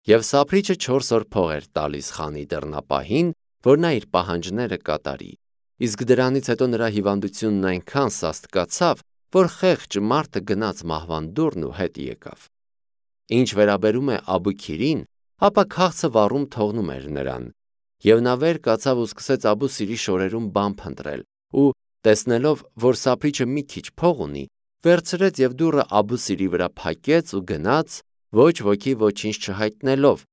Եվ սափրիչը 4 օր փող էր տալիս խանի դռնապահին, որ նա իր պահանջները կատարի, իսկ դրանից հետո նրա հիվանդությունն այնքան սաստկացավ, որ խեղճ մարդը գնաց մահվան դուռն ու հետ եկավ։ Ինչ վերաբերում է Աբուքիրին, ապա քաղցը վառում թողնում էր նրան, եւ նա վեր կացավ ու սկսեց Աբու Սիրի շորերում բան փնտրել, ու տեսնելով, որ սափրիչը մի քիչ փող ունի, վերցրեց եւ դուռը Աբու Սիրի վրա փակեց ու գնաց, ոչ ոքի ոչինչ չհայտնելով,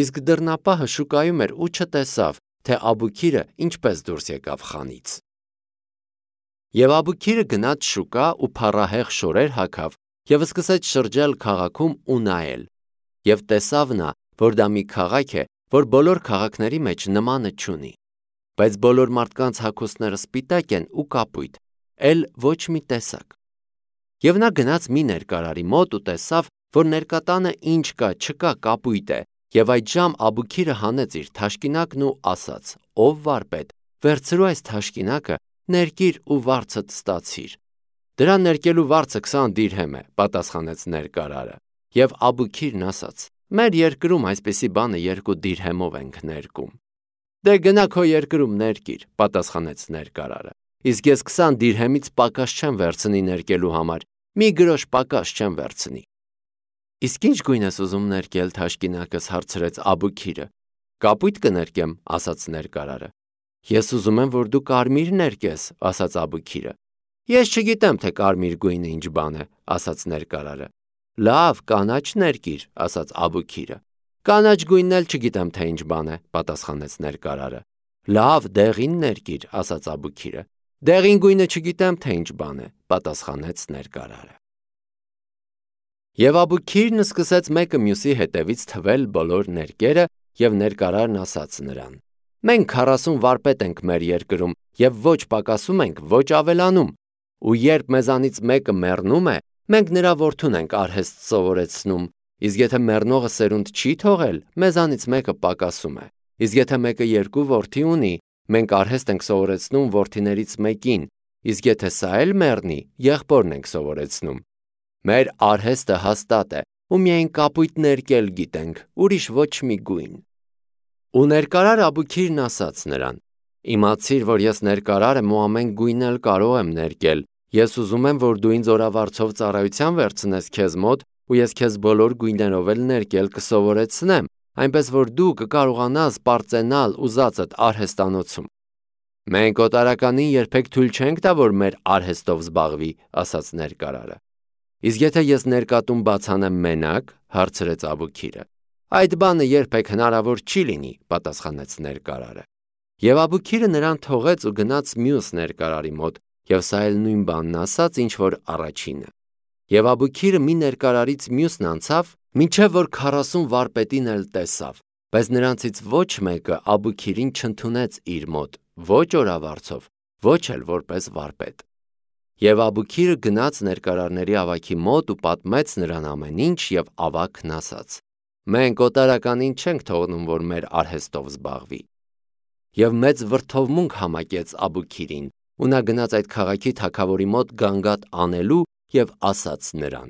իսկ դռնապահը շուկայում էր ու չտեսավ, թե Աբուքիրը ինչպես դուրս եկավ խանից։ Եվ Աբուքիրը գնաց շուկա ու փառահեղ շորեր հագավ եւ սկսեց շրջել քաղաքում ու նայել, եւ տեսավ նա, որ դա մի քաղաք է, որ բոլոր քաղաքների մեջ նմանը չունի, բայց բոլոր մարդկանց հագուստները սպիտակ են ու կապույտ, էլ ոչ մի տեսակ։ Եվ նա գնաց մի ներկարարի մոտ ու տեսավ, որ ներկատանը ինչ կա, չկա, կապույտ է, եւ այդժամ Աբուքիրը հանեց իր թաշկինակն ու ասաց. «Ով վարպետ, վերցրու այս թաշկինակը, ներկիր ու վարձդ ստացիր»։ «Դրան ներկելու վարձը 20 դիրհեմ է», պատասխանեց ներկարարը։ Եվ Աբուքիրն ասաց. «Մեր երկրում այսպիսի բանը 2 դիրհեմով ենք ներկում»։ «Դե գնա քո երկրում ներկիր», պատասխանեց ներկարարը, «իսկ ես 20 դիրհեմից պակաս չեմ վերցնի ներկելու համար, մի գրոշ պակաս չեմ վերցնի»։ «Իսկ ինչ գույն ես ուզում ներկել թաշկինակս», հարցրեց Աբուքիրը։ «Կապույտ կներկեմ», ասաց ներկարարը։ «Ես ուզում եմ, որ դու կարմիր ներկես», ասաց Աբուքիրը։ «Ես չգիտեմ, թե կարմիր գույնը ինչ բան է», ասաց ներկարարը։ «Լավ, կանաչ ներկիր», ասաց Աբուքիրը։ «Կանաչ գույնն էլ չգիտեմ, թե ինչ բան է», պատասխանեց ներկարարը։ «Լավ, դեղին ներկիր», ասաց Աբուքիրը։ «Դեղին գույնը չգիտեմ, թե ինչ բան է», պատասխանեց ներկարարը։ Եվ Աբուքիրն սկսեց մեկը մյուսի հետևից թվել բոլոր ներկերը, եւ ներկարարն ասաց նրան. «Մենք 40 վարպետ ենք մեր երկրում, եւ ոչ պակասում ենք, ոչ ավելանում, ու երբ մեզանից մեկը մեռնում է, մենք նրա որդուն ենք արհեստ սովորեցնում, իսկ եթե մեռնողը սերունդ չի թողել, մեզանից մեկը պակասում է, իսկ եթե մեկը 2 որդի ունի, մենք արհեստ ենք սովորեցնում որդիներից մեկին, իսկ եթե սա էլ մեռնի, եղբորն ենք սովորեցնում։ Մեր արհեստը հաստատ է, ու միայն կապույտ ներկել գիտենք, ուրիշ ոչ մի գույն»։ Ու ներկարար Աբուքիրն ասաց նրան. «Իմացիր, որ ես ներկարար եմ ու ամեն գույն էլ կարող եմ ներկել, ես ուզում եմ, որ դու ինձ օրավարձով ծառայության վերցնես քեզ մոտ, ու ես քեզ բոլոր գույներով էլ ներկել կսովորեցնեմ, այնպես որ դու կկարողանաս պարծենալ ուզածդ արհեստանոցում»։ «Մենք օտարականին երբեք թույլ չենք տա, որ մեր արհեստով զբաղվի», ասաց ներկարարը։ «Իսկ եթե ես ներկատում բացանեմ մենակ», հարցրեց Աբուքիրը։ «Այդ բանը երբեք հնարավոր չի լինի», պատասխանեց ներկարարը։ Եվ Աբուքիրը նրան թողեց ու գնաց մյուս ներկարարի մոտ, եւ սա էլ նույն բանն ասաց, ինչ որ առաջինը։ Եվ Աբուքիրը մի ներկարարից մյուսն անցավ, մինչև որ 40 վարպետին էլ տեսավ, բայց նրանցից ոչ մեկը Աբուքիրին չընդունեց իր մոտ, ոչ օրավարձով, ոչ էլ որպես վարպետ։ Եվ Աբուքիրը գնաց ներկարարների ավագի մոտ ու պատմեց նրան ամեն ինչ, եւ ավագն ասաց. «Մենք օտարականին չենք թողնում, որ մեր արհեստով զբաղվի»։ Եվ մեծ վրդովմունք համակեց Աբուքիրին, ու նա գնաց այդ քաղաքի թագավորի մոտ գանգատ անելու եւ ասաց նրան.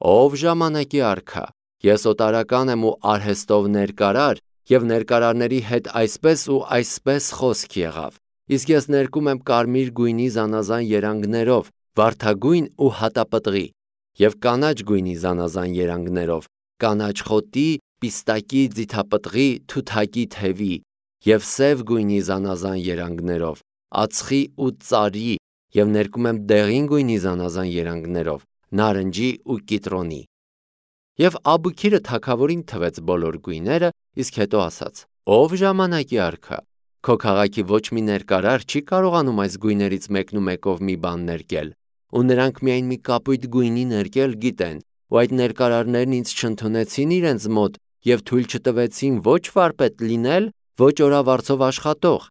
«Ով ժամանակի արքա, ես օտարական եմ ու արհեստով ներկարար, եւ ներկարարների հետ այսպես ու այսպես խոսք եղավ, իսկ ես ներկում եմ կարմիր գույնի զանազան երանգներով, վարդագույն ու հատապտղի, եւ կանաչ գույնի զանազան երանգներով, կանաչ խոտի, պիստակի, ձիթապտղի, թութակի թևի, եւ սև գույնի զանազան երանգներով, ածխի ու ծարի, եւ ներկում եմ դեղին գույնի զանազան երանգներով, նարնջի ու կիտրոնի»։ Եվ Աբուքիրը թագավորին թվեց բոլոր գույները, իսկ հետո ասաց. «Ով ժամանակի արքա, քո քաղաքի ոչ մի ներկարար չի կարողանում այս գույներից մեկն ու մեկով մի բան ներկել, ու նրանք միայն մի կապույտ գույնի ներկել գիտեն, ու այդ ներկարարներն ինձ չընդունեցին իրենց մոտ եւ թույլ չտվեցին ոչ վարպետ լինել, ոչ օրավարձով աշխատող»։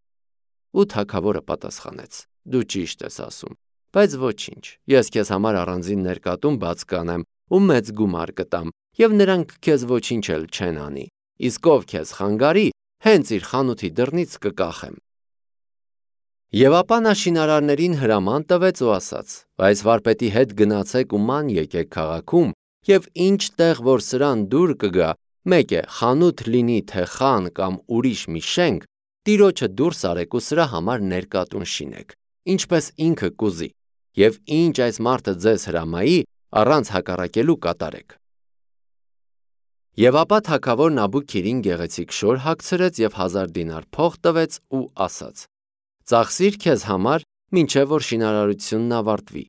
Ու թագավորը պատասխանեց. «Դու ճիշտ ես ասում, բայց ոչինչ, ես քեզ համար առանձին ներկատում բաց կանեմ ու մեծ գումար կտամ, եւ նրանք քեզ ոչինչ էլ չեն անի, իսկ ով քեզ խանգարի, հենց իր խանութի դռնից կկախեմ»։ Եվ ապա նա շինարարներին հրաման տվեց ու ասաց. «Այս վարպետի հետ գնացեք ու ման եկեք քաղաքում, եւ ինչ տեղ որ սրան դուր կգա, Մեկ է, խանութ լինի թե խան կամ ուրիշ մի շենք, տիրոջը դուրս արեք ու սրա համար ներկատուն շինեք, ինչպես ինքը կուզի, և ինչ այս մարդը ձեզ հրամայի, առանց հակառակելու կատարեք։ Եվ ապա թագավոր Նաբուքիրին գեղեցիկ շոր հագցրեց և 1000 դինար փող տվեց ու ասաց. «Ծախսիր քեզ համար, մինչև որ շինարարությունն ավարտվի»։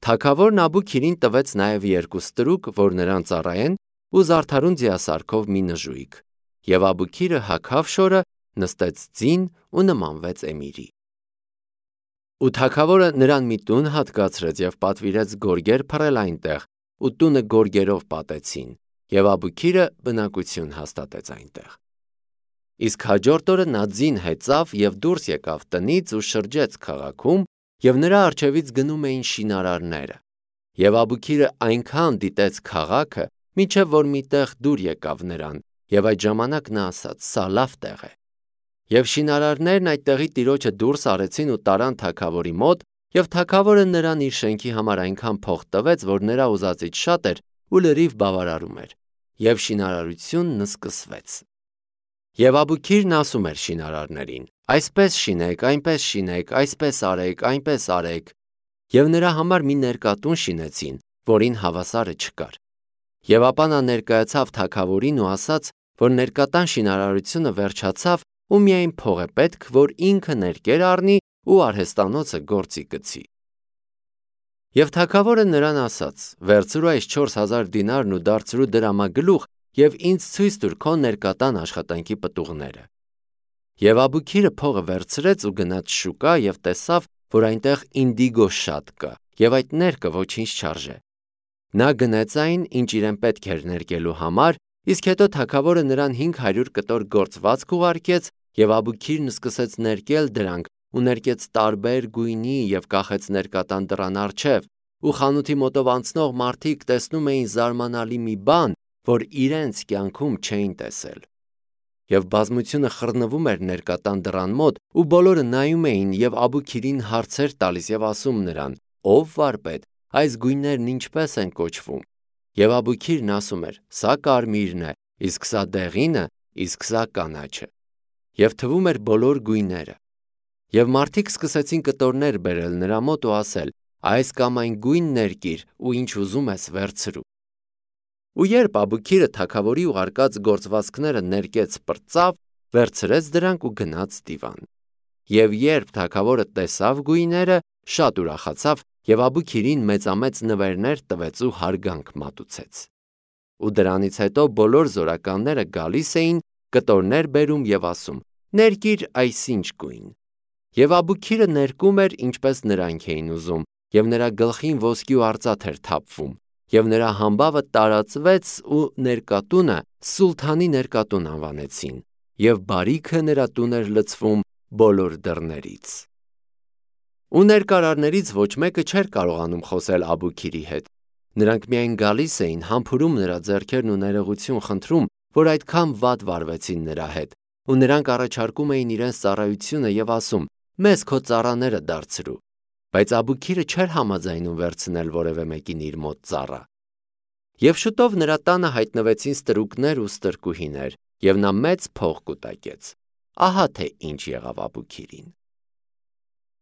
Թագավոր Նաբուքիրին տվեց նաև 2 ստրուկ, որ նրան ծառայեն, ու զարդարուն ձիասարքով մի նժույգ, և Աբուքիրը հագավ շորը, նստեց ձին ու նմանվեց էմիրի։ Ու թագավորը նրան մի տուն հատկացրեց և պատվիրեց գորգեր փռել այնտեղ, ու տունը գորգերով պատեցին, և Աբուքիրը բնակություն հաստատեց այնտեղ։ Իսկ հաջորդ օրը նա ձին հեծավ և դուրս եկավ տնից ու շրջեց քաղաքում, և նրա առջևից գնում էին շինարարները։ Եվ Աբուքիրը այնքան դիտեց քաղաքը, մինչև որ մի տեղ դուր եկավ նրան, և այդ ժամանակ նա ասաց. «Սա լավ տեղ է»։ Եվ շինարարներն այդտեղի տիրոջը դուրս արեցին ու տարան թագավորի մոտ, և թագավորը նրան իր շենքի համար այնքան փող տվեց, որ նրա ուզածից շատ էր ու լրիվ բավարարում էր, և շինարարությունն սկսվեց։ Եվ Աբուքիրն ասում էր շինարարներին. «Այսպես շինեք, այնպես շինեք, այսպես արեք, այնպես արեք»։ Եվ նրա համար մի ներկատուն շինեցին, որին հավասարը չկար։ Եվ ապա նա ներկայացավ թագավորին ու ասաց, որ ներկատան շինարարությունը վերջացավ ու միայն փող է պետք, որ ինքը ներկեր առնի ու արհեստանոցը գործի գցի։ Եվ թագավորը նրան ասաց. «Վերցրու այս 4000 դինարն ու դարձրու դրամագլուխ և ինձ ցույց տուր քո ներկատան աշխատանքի պտուղները»։ Եվ Աբուքիրը փողը վերցրեց ու գնաց շուկա և տեսավ, որ այնտեղ ինդիգո շատ կա, և այդ ներկը ոչինչ չարժե։ Նա գնեց այն, ինչ իրեն պետք էր ներկելու համար, իսկ հետո թագավորը նրան 500 կտոր գործվածք ուղարկեց, և Աբուքիրն սկսեց ներկել դրանք ու ներկեց տարբեր գույնի և կախեց ներկատան դռան առջև, ու խանութի մոտով անցնող մարդիկ տեսնում էին զարմանալի մի բան, որ իրենց կյանքում չէին տեսել։ Եվ բազմությունը խռնվում էր ներկատան դռան մոտ, ու բոլորը նայում էին և Աբուքիրին հարցեր տալիս և ասում նրան. «Ով վարպետ, այս գույներն ինչպե՞ս են կոչվում»։ Եվ Աբուքիրն ասում էր. «Սա կարմիրն է, իսկ սա դեղինը, իսկ սա կանաչը»։ Եվ թվում էր բոլոր գույները։ Եվ մարդիկ սկսեցին կտորներ բերել նրա մոտ ու ասել. «Այս կամ այն գույն ներկիր ու ինչ ուզում ես վերցրու»։ Ու երբ Աբուքիրը թագավորի ուղարկած գործվածքները ներկեց պրծավ, վերցրեց դրանք ու գնաց դիվան։ Եվ երբ թագավորը տեսավ գույները, շատ ուրախացավ և Աբուքիրին մեծամեծ նվերներ տվեց ու հարգանք մատուցեց։ Ու դրանից հետո բոլոր զորականները գալիս էին, կտորներ բերում և ասում. «Ներկիր այսինչ գույն»։ Եվ Աբուքիրը ներկում էր, ինչպես նրանք էին ուզում, և նրա գլխին ոսկի ու արծաթ էր թափվում, և նրա համբավը տարածվեց ու ներկատունը Սուլթանի ներկատուն անվանեցին, և բարիքը նրա տուն էր լցվում բոլոր դռներից։ Ու ներկարարներից ոչ մեկը չէր կարողանում խոսել Աբուքիրի հետ։ Նրանք միայն գալիս էին, համբուրում նրա ձեռքերն ու ներողություն խնդրում, որ այդքան վատ վարվեցին նրա հետ, ու նրանք առաջարկում էին իրենց ծառայությունը և ասում. «Մեզ քո ծառաները դարձրու»։ Բայց Աբուքիրը չէր համաձայնում վերցնել որևէ մեկին իր մոտ ծառա։ Եվ շուտով նրա տանը հայտնվեցին ստրուկներ ու ստրկուհիներ, և նա մեծ փող կուտակեց։ Ահա թե ինչ եղավ Աբուքիրին։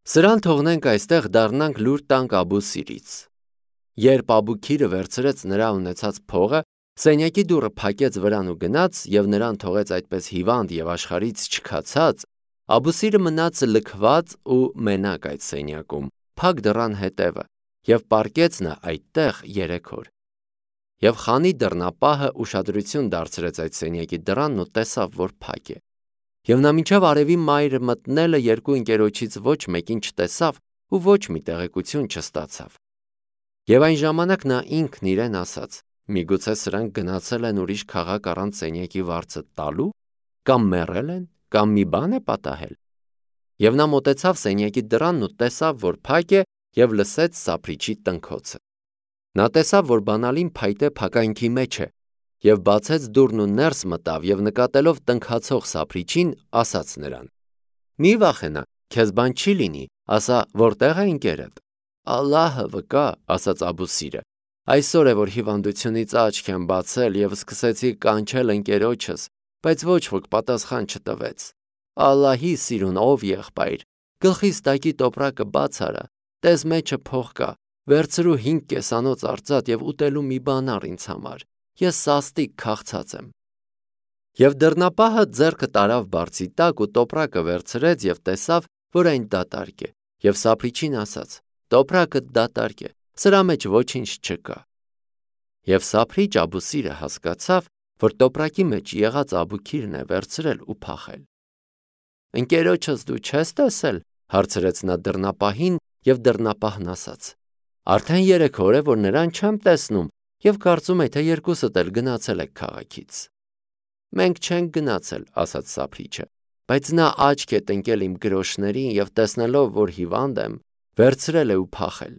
Սրան թողնենք այստեղ, դառնանք լուր տանք Աբուսիրից։ Երբ Աբուքիրը վերցրեց նրա ունեցած փողը, սենյակի դուռը փակեց վրան ու գնաց, և նրան թողեց այդպես հիվանդ և աշխարհից չքացած, Աբուսիրը մնաց լքված ու մենակ այդ սենյակում, փակ դռան հետևը, և պառկեց նա այդտեղ 3 օր։ Եվ խանի դռնապահը ուշադրություն դարձրեց այդ սենյակի դռանն ու տեսավ, որ փակ է։ Եվ նա մինչև արևի մայրը մտնելը երկու ընկերոջից ոչ մեկին չտեսավ ու ոչ մի տեղեկություն չստացավ։ Եվ այն ժամանակ նա ինքն իրեն ասաց. «Միգուցե սրանք գնացել են ուրիշ քաղաք առանց սենյակի վարձը տալու, կամ մեռել են, կամ մի բան է պատահել»։ Եվ նա մոտեցավ սենյակի դռանն ու տեսավ, որ փակ է, և լսեց սափրիչի տնքոցը։ Նա տեսավ, որ բանալին փայտե փականքի մեջ է, և բացեց դուռն ու ներս մտավ և նկատելով տնքացող սափրիչին, ասաց նրան. «Մի վախենա, քեզ բան չի լինի, ասա, որտե՞ղ է ընկերդ»։ «Ալլահը վկա», ասաց Աբուսիրը, Այսօր է, որ հիվանդությունից աչք եմ բացել և սկսեցի կանչել ընկերոջս, բայց ոչ ոք պատասխան չտվեց։ Ալլահի սիրուն, ով եղբայր, գլխիս տակի տոպրակը բաց արա, տես մեջը փող կա, վերցրու 5 կեսանոց արծաթ և ուտելու մի բան առ ինձ համար, ես սաստիկ քաղցած եմ։ Եվ դռնապահը ձեռքը տարավ բարձի տակ ու տոպրակը վերցրեց և տեսավ, որ այն դատարկ է, և սափրիչին ասաց. տոպրակը դատարկ է, սրա մեջ ոչինչ չկա։ Եվ սափրիչ Աբուսիրը հասկացավ, որ տոպրակի մեջ եղած Աբուքիրն է վերցրել ու փախել։ Ընկերոջս դու չես տեսել, հարցրեց նա դռնապահին, և դռնապահն ասաց. արդեն 3 օր է, որ նրան չեմ տեսնում, և կարծում եմ, թե երկուսդ էլ գնացել եք քաղաքից։ Մենք չենք գնացել, ասաց սափրիչը, բայց նա աչք է տնկել իմ գրոշներին և տեսնելով, որ հիվանդ եմ, վերցրել է ու փախել։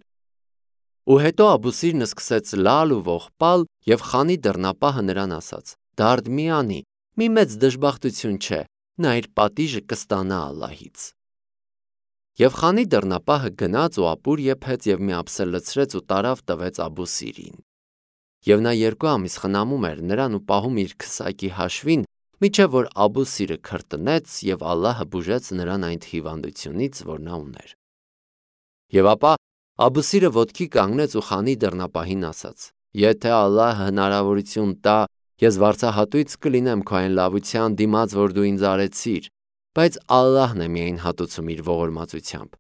Ու հետո Աբուսիրն սկսեց լալ ու ողբալ, և խանի դռնապահը նրան ասաց. դարդ մի անի, մի մեծ դժբախտություն չէ, նա իր պատիժը կստանա Ալլահից։ Եվ խանի դռնապահը գնաց ու ապուր եփեց և մի ափսե լցրեց ու տարավ տվեց Աբուսիրին։ Եվ նա 2 ամիս խնամում էր նրան ու պահում իր քսակի հաշվին, մինչև որ Աբուսիրը քրտնեց և Ալլահը բուժեց նրան այն հիվանդությունից, որ նա ուներ։ Եվ ապա Աբուսիրը ոտքի կանգնեց ու խանի դռնապահին ասաց. եթե Ալլահը հնարավորություն տա, ես վարձահատույց կլինեմ քո այն լավության դիմաց, որ դու ինձ արեցիր, բայց Ալլահն է միայն հատուցում իր ողորմածությամբ։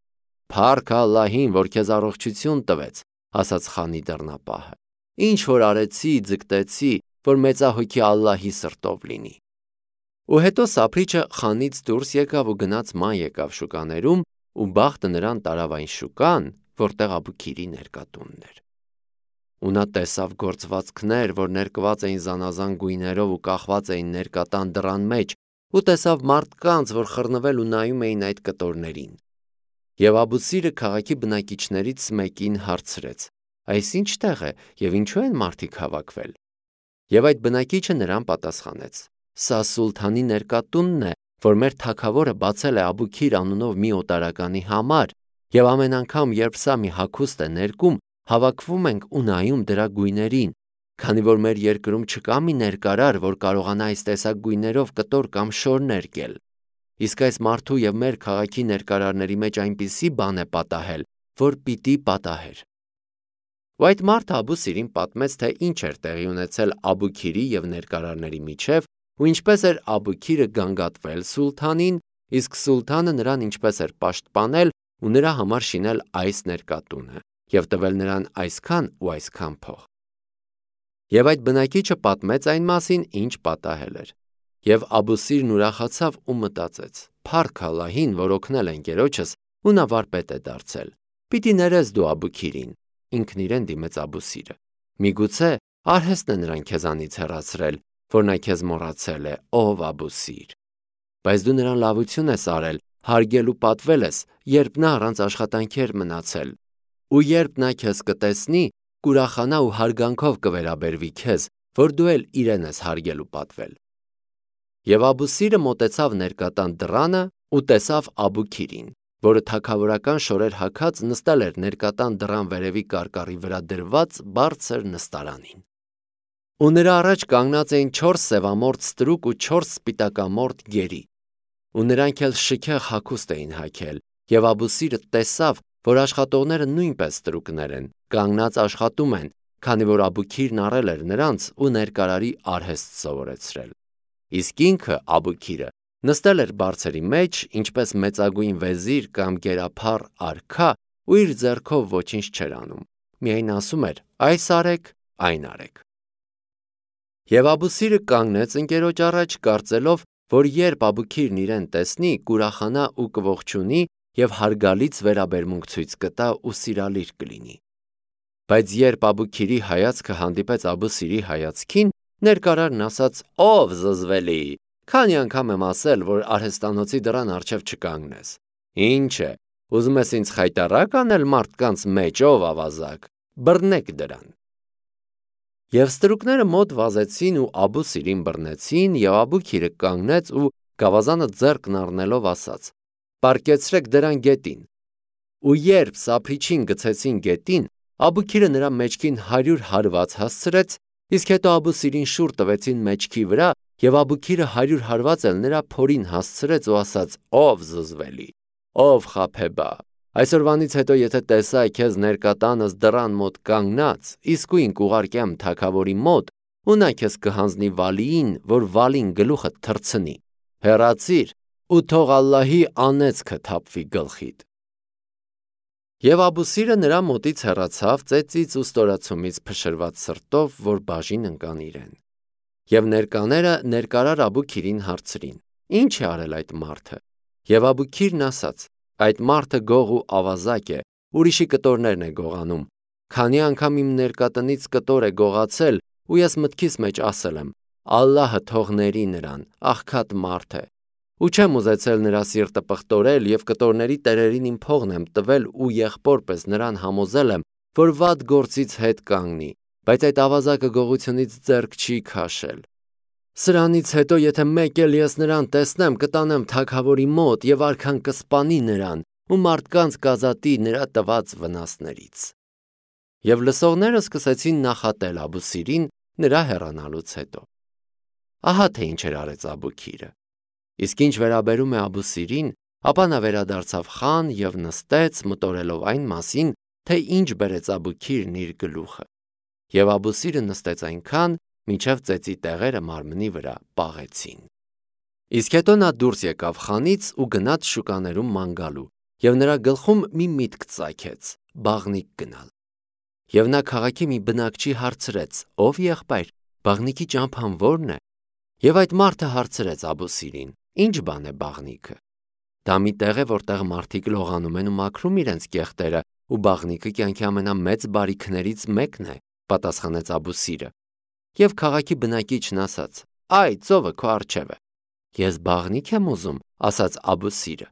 Փառք Ալլահին, որ քեզ առողջություն տվեց, ասաց խանի դռնապահը։ Ինչ որ արեցի, ձգտեցի, որ մեծահոգի Ալլահի սրտով լինի։ Ու հետո սափրիչը խանից դուրս եկավ ու գնաց ման եկավ շուկաներում, ու բախտը նրան տարավ այն շուկան, որտեղ Աբուքիրի ներկատունն էր։ Ու նա տեսավ գործվածքներ, որ ներկված էին զանազան գույներով ու կախված էին ներկատան դռան մեջ, ու տեսավ մարդկանց, որ խռնվել ու նայում էին այդ կտորներին։ Եվ Աբուսիրը քաղաքի բնակիչներից մեկին հարցրեց. այս ինչ տեղ է և ինչու են մարդիկ հավաքվել։ Եվ այդ բնակիչը նրան պատասխանեց. սա սուլթանի ներկատունն է, որ մեր թագավորը բացել է Աբուքիր անունով մի օտարականի համար, և ամեն անգամ, երբ սա մի հագուստ է ներկում, հավաքվում ենք ու նայում դրա գույներին, քանի որ մեր երկրում չկա մի ներկարար, որ կարողանա այս տեսակ գույներով կտոր կամ շոր ներկել։ Իսկ այս մարդու և մեր քաղաքի ներկարարների մեջ այնպիսի բան է պատահել, որ պիտի պատահեր։ Ու այդ մարդը Աբուսիրին պատմեց, թե ինչ էր տեղի ունեցել Աբուքիրի և ներկարարների միջև, ու ինչպես էր Աբուքիրը գանգատվել սուլթանին, իսկ սուլթանը նրան ինչպես էր պաշտպանել ու նրա համար շինել այս ներկատունը և տվել նրան այսքան ու այսքան փող։ Եվ այդ բնակիչը պատմեց այն մասին, ինչ պատահել էր։ Եվ Աբուսիրն ուրախացավ ու մտածեց. փառք Ալլահին, որ օգնել է ընկերոջս ու նա վարպետ է դարձել։ Պիտի ներես դու Աբուքիրին։ Ինքն իրեն դիմեց Աբուսիրը. միգուցե արհեստն է նրան քեզանից հեռացրել, որ նա քեզ մոռացել է, ով Աբուսիր։ Բայց դու նրան լավություն ես արել, հարգել ու պատվել ես, երբ նա առանց աշխատանքի էր մնացել։ Ու երբ նա քեզ կտեսնի, կուրախանա ու հարգանքով կվերաբերվի քեզ, որ դու էլ իրեն ես հարգել ու պատվել։ Եվ Աբուսիրը մոտեցավ ներկատան դռանը ու տեսավ Աբուքիրին, որը թագավորական շորեր հագած նստել էր ներկատան դռան վերևի կարկառի վրա դրված բարձր նստարանին։ Ու նրա առաջ կանգնած էին 4 սևամորթ ստրուկ ու 4 սպիտակամորթ գերի։ Ու նրանք էլ շքեղ հագուստ էին հագել, և Աբուսիրը տեսավ, որ աշխատողները նույնպես ստրուկներ են, կանգնած աշխատում են, քանի որ Աբուքիրն առել էր նրանց ու ներկարարի արհեստ սովորեցրել։ Իսկ ինքը Աբուքիրը նստել էր բարձերի մեջ, ինչպես մեծագույն վեզիր կամ գերափառ արքա, ու իր ձեռքով ոչինչ չէր անում, միայն ասում էր. այս արեք, այն արեք։ Եվ Աբուսիրը կանգնեց ընկերոջ առաջ, կարծելով, որ երբ Աբուքիրն իրեն տեսնի, կուրախանա ու կողջունի և հարգալից վերաբերմունք ցույց կտա ու սիրալիր կլինի։ Բայց երբ Աբուքիրի հայացքը հանդիպեց Աբուսիրի հայացքին, ներկարարն ասաց. ով զզվելի, քանի անգամ եմ ասել, որ արհեստանոցի դռան առջև չկանգնես։ Ինչ է, ուզում ես ինձ խայտառակ անել մարդկանց մեջ, ով ավազակ, բռնեք դրան։ Եվ ստրուկները մոտ վազեցին ու Աբուսիրին բռնեցին, և Աբուքիրը կանգնեց ու գավազանը ձեռքն առնելով ասաց. պառկեցրեք դրան գետին։ Ու երբ սափրիչին գցեցին գետին, Աբուքիրը նրա մեջքին 100 հարված հասցրեց, իսկ հետո Աբուսիրին շուռ տվեցին մեջքի վրա, եւ Աբուքիրը 100 հարված էլ նրա փորին հասցրեց ու ասաց. «Ով զզվելի, ով խաբեբա, այսօրվանից հետո եթե տեսա քեզ ներկա տանս դռան մոտ կանգնած, իսկույն կուղարկեմ թագավորի մոտ, ու նա քեզ կհանձնի վալիին, որ վալին գլուխդ թռցնի, հեռացիր ու թող Ալլահի անեծքը թափվի գլխիդ»։ Եվ Աբուսիրը նրա մոտից հեռացավ ծեծից ու ստորացումից փշրված սրտով, որ բաժին ընկան իրեն։ Եվ ներկաները ներկարար Աբուքիրին հարցրին. «Ինչ է արել այդ մարդը»։ Եվ Աբուքիրն ասաց. «Այդ մարդը գող ու ավազակ է, ուրիշի կտորներն է գողանում, քանի անգամ իմ ներկատնից կտոր է գողացել, ու ես մտքիս մեջ ասել եմ. Ալլահը թող ների նրան, աղքատ մարդ է, ու չեմ ուզեցել նրա սիրտը պղտորել եւ կտորների տերերին իմ փողն եմ տվել ու եղբոր պես նրան համոզել եմ, որ վատ գործից հետ կանգնի, բայց այդ ավազակը գողությունից ձեռք չի քաշել։ Սրանից հետո եթե մեկ էլ ես նրան տեսնեմ, կտանեմ թագավորի մոտ եւ արքան կսպանի նրան ու մարդկանց կազատի նրա տված վնասներից»։ Եվ լսողները սկսեցին նախատել Աբուսիրին նրա հեռանալուց հետո։ Ահա թե ինչ էր արեց Աբուքիրը։ Իսկ ինչ վերաբերում է Աբուսիրին, ապա նա վերադարձավ խան եւ նստեց, մտորելով այն մասին, թե ինչ բերեց Աբուքիրն իր գլուխը։ Եվ Աբուսիրը նստեց այնքան, մինչև ծեծի տեղերը մարմնի վրա պաղեցին։ Իսկ հետո նա դուրս եկավ խանից ու գնաց շուկաներում ման գալու, եւ նրա գլխում մի միտք ծագեց՝ բաղնիք գնալ։ Եվ նա քաղաքի մի բնակչի հարցրեց. «Ով եղբայր, բաղնիքի ճամփան ո՞րն է»։ Եվ այդ մարդը հարցրեց Աբուսիրին. «Ինչ բան է բաղնիքը»։ Դա մի տեղ է, որտեղ մարդիկ լողանում են ու մաքրում իրենց կեղտերը, ու բաղնիքը կյանքի ամենամեծ բարիքներից մեկն է, պատասխանեց Աբուսիրը։ Եվ քաղաքի բնակիչն ասաց. «Այ, ծովը քո առջև է»։ «Ես բաղնիք եմ ուզում», ասաց Աբուսիրը։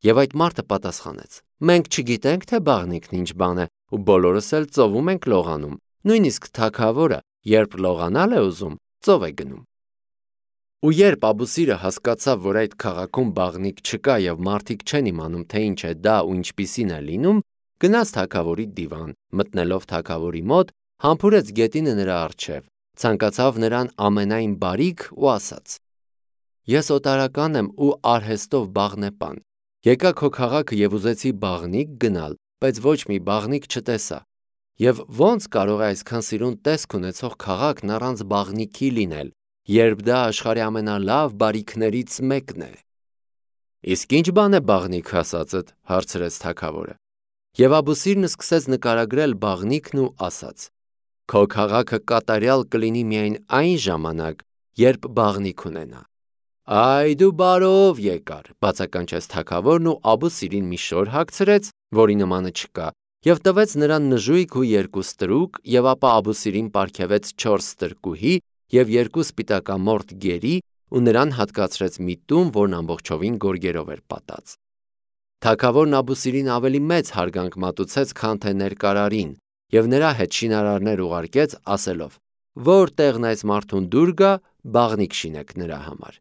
Եվ այդ մարդը պատասխանեց. «Մենք չգիտենք, թե բաղնիքն ինչ բան է, ու բոլորս էլ ծովում ենք լողանում, նույնիսկ թագավորը, երբ լողանալ է ուզում, ծով է գնում»։ Ու երբ Աբուսիրը հասկացավ, որ այդ քաղաքում բաղնիք չկա եւ մարդիկ չեն իմանում, թե ինչ է դա ու ինչպիսին է լինում, գնաց թագավորի դիվան, մտնելով թագավորի մոտ, համբուրեց գետինը նրա առջև, ցանկացավ նրան ամենայն բարիք ու ասաց. «Ես օտարական եմ ու արհեստով բաղնեպան, եկա քո քաղաքը եւ ուզեցի բաղնիք գնալ, բայց ոչ մի բաղնիք չտեսա։ Եվ ո՞նց կարող է այսքան սիրուն տեսք ունեցող քաղաքն առանց բաղնիքի լինել, երբ դա աշխարհի ամենալավ բարիքներից մեկն է»։ «Իսկ ինչ բան է բաղնիքը ասածդ», հարցրեց թագավորը։ Եվ Աբուսիրն սկսեց նկարագրել բաղնիքն ու ասաց. «Քո քաղաքը կատարյալ կլինի միայն այն ժամանակ, երբ բաղնիք ունենա»։ «Այ դու բարով եկար», բացականչեց թագավորն ու Աբուսիրին մի շոր հագցրեց, որի նմանը չկա, եւ տվեց նրան նժույգ ու 2 ստրուկ, եւ ապա Աբուսիրին պարգևեց 4 ստրկուհի եւ 2 սպիտակամորթ գերի ու նրան հատկացրեց մի տուն, որն ամբողջովին գորգերով էր պատած։ Թագավորն Աբուսիրին ավելի մեծ հարգանք մատուցեց, քան թե ներկարարին, եւ նրա հետ շինարարներ ուղարկեց, ասելով. «Որտեղն այս մարդուն դուր գա, բաղնիք շինեք նրա համար»։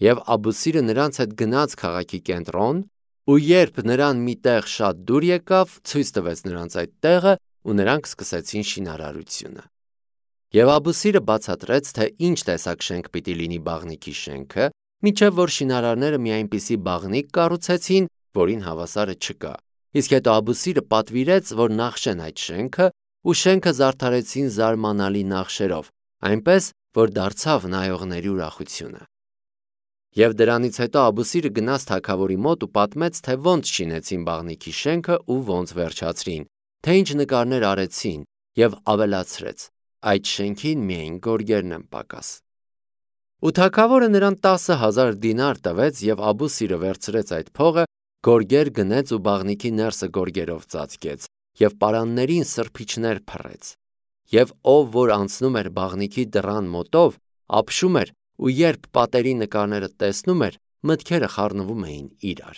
Եվ Աբուսիրը նրանց հետ գնաց քաղաքի կենտրոն, ու երբ նրան մի տեղ շատ դուր եկավ, ցույց տվեց նրանց այդ տեղը, ու նրանք սկսեցին շինարարությունը։ Եվ Աբուսիրը բացատրեց, թե ինչ տեսակ շենք պիտի լինի բաղնիքի շենքը, մինչև որ շինարարները մի այնպիսի բաղնիք կառուցեցին, որին հավասարը չկա։ Իսկ հետո Աբուսիրը պատվիրեց, որ նախշեն այդ շենքը, ու շենքը զարդարեցին զարմանալի նախշերով, այնպես, որ դարձավ նայողների ուրախությունը։ Եվ դրանից հետո Աբուսիրը գնաց թագավորի մոտ ու պատմեց, թե ոնց շինեցին բաղնիքի շենքը ու ոնց վերջացրին, թե ինչ նկարներ արեցին, եւ ավելացրեց. «Այդ շենքին միայն գորգերն են պակաս»։ Ու թագավորը նրան 10,000 դինար տվեց, եւ Աբուսիրը վերցրեց այդ փողը, գորգեր գնեց ու բաղնիքի ներսը գորգերով ծածկեց, եւ պարաններին սրբիչներ փռեց։ Եվ ով որ անցնում էր բաղնիքի դռան մոտով, ապշում էր, ու երբ պատերի նկարները տեսնում էր, մտքերը խառնվում էին իրար։